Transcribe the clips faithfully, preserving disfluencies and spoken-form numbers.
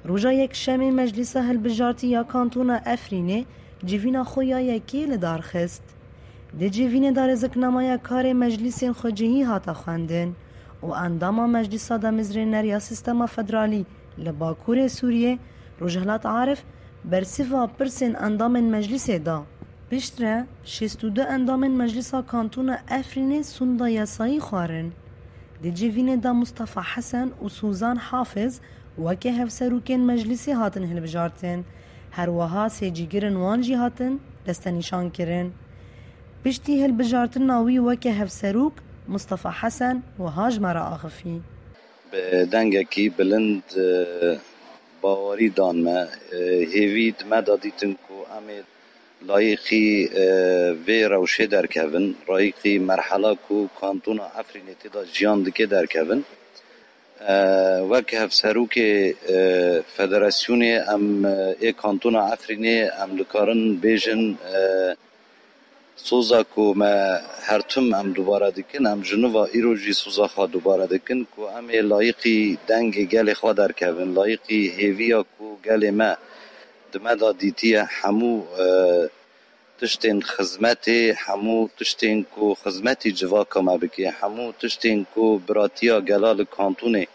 Roja Yekşemê Meclîsa Hilbijartî ya Kantona Efrînê civîna xwe ya yekê li dar xist. Di civînê de rêziknameya karê meclîsên xwecihî hate xwendin û endama Meclîsa Damezrêner ya Sîstema Federalî li Bakurê Sûriyê, Rojhilat Arif, bersiva pirsên endamên meclîsê da. Piştre şêst û du endamên Meclîsa Kantona Efrînê sonda yasayî xwarin. Di civînê de Mustafa Hesen û Suzan Hafiz weke hevserokên meclîsê hatin hilbijartin. Her wiha sê cîgirên wan jî hatin destenîşankirin. Piştî hilbijartina wî weke hevserok, Mustafa Hesen wiha ji me re axifî. Bi dengekî bilind, e, bawerî dan me. E, hêvî di me de dîtin ku em ê layîqî, e, vê rewşê derkevin, layîqî merhela ku Kantona Efrînê tê de jiyan dike derkevin. E, wek hevserokê, e, federasyonê em, e, ê Kantona Efrînê em dikarin bêjin, e, soza ku me her tim em dubare dikin, em ji nû ve îro jî soza xwe dubare dikin ku em ê layîqî dengê gelê xwe derkevin, layîqî hêviya ku gelê me di me de dîtiye, hemû, e, tiştên xizmetê, hemû tiştên ku xizmetî civaka me bike, hemû tiştên ku biratiya gela li kantonê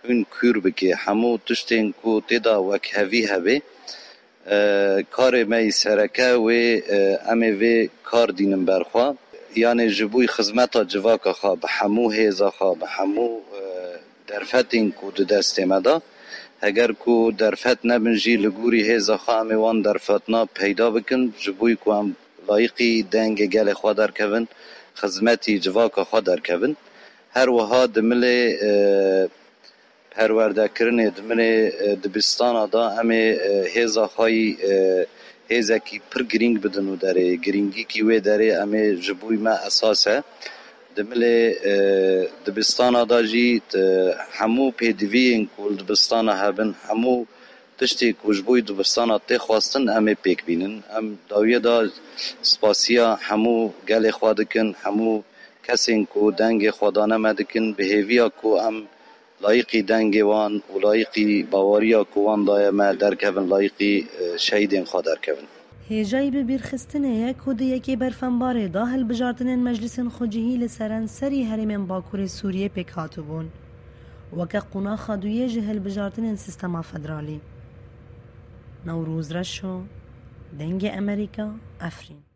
hûn kûr bike, hemû tiştên ku tê de wekhevî hebe. E, karê me yî sereke wê, e, em ê vê kar dînin ber xwe. Yanê ji bo xizmeta civaka xwe bi hemû hêza xwe, bi hemû, e, derfetên ku di destê me de, heger ku derfet nebin jî, li gorî hêza xwe em ê wan derfetina peyda bikin, ji bo ku em layîqî dengê gelê xwe derkevin, xizmetî civaka xwe derkevin. Her wiha di milê, e, perwerdekirinê, di milê, e, dibistana de em ê, e, hêza xwe yî, e, hêzekî pir girîng bidin û derê. Girîngîkî wê derê em ê ji bo me esas e. Di milê, e, dibistana de jî, e, hemû pêdiviyên ku li dibistana hebin, hemû tiştê ku ji bo dibistana tê xwestin, em ê pêk bînin. Em dawiyê de spasiya hemû gelê xwe dikin, hemû kesên ku dengê xwe dane me dikin, bi hêviya ku em layîqî dengê wan û layîqî baweriya ku wan daye me derkevin, layîqî, e, şehîdên xwe derkevin. Hêjayî bi bîrxistinê ye ku di yekê berfembarê de hilbijartinên meclisên xwecihî li serenserî herêmên Bakurê Sûriyê pêk hatibûn. Weke qonaxa duyê ji hilbijartinên sîstema federalî. Newroz Reşo, Dengê Emerîka, Efrîn.